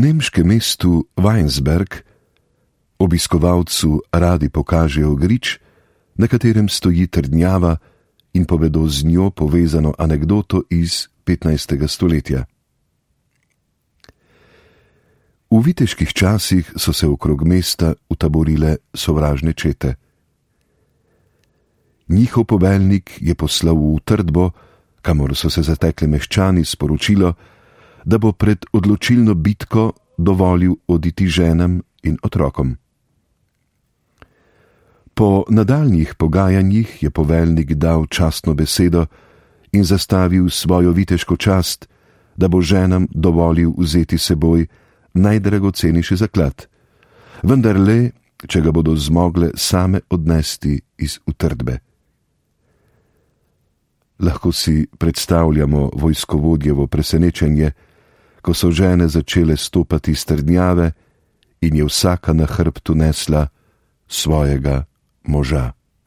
nemškem mestu Weinsberg obiskovalcu radi pokažejo grič, na katerem stoji trdnjava, in povedo z njo povezano anekdoto iz 15. stoletja. V viteških časih so se okrog mesta utaborile sovražne čete. Njihov poveljnik je poslal v utrdbo, kamor so se zatekli meščani, sporočilo, da bo pred odločilno bitko dovolil oditi ženam in otrokom. Po nadaljnjih pogajanjih je poveljnik dal častno besedo in zastavil svojo viteško čast, da bo ženam dovolil vzeti seboj najdragocenejši zaklad, vendar le, če ga bodo zmogle same odnesti iz utrdbe. Lahko si predstavljamo vojskovodjevo presenečenje, ko so žene začele stopati s trdnjave in je vsaka na hrbtu nesla svojega moža.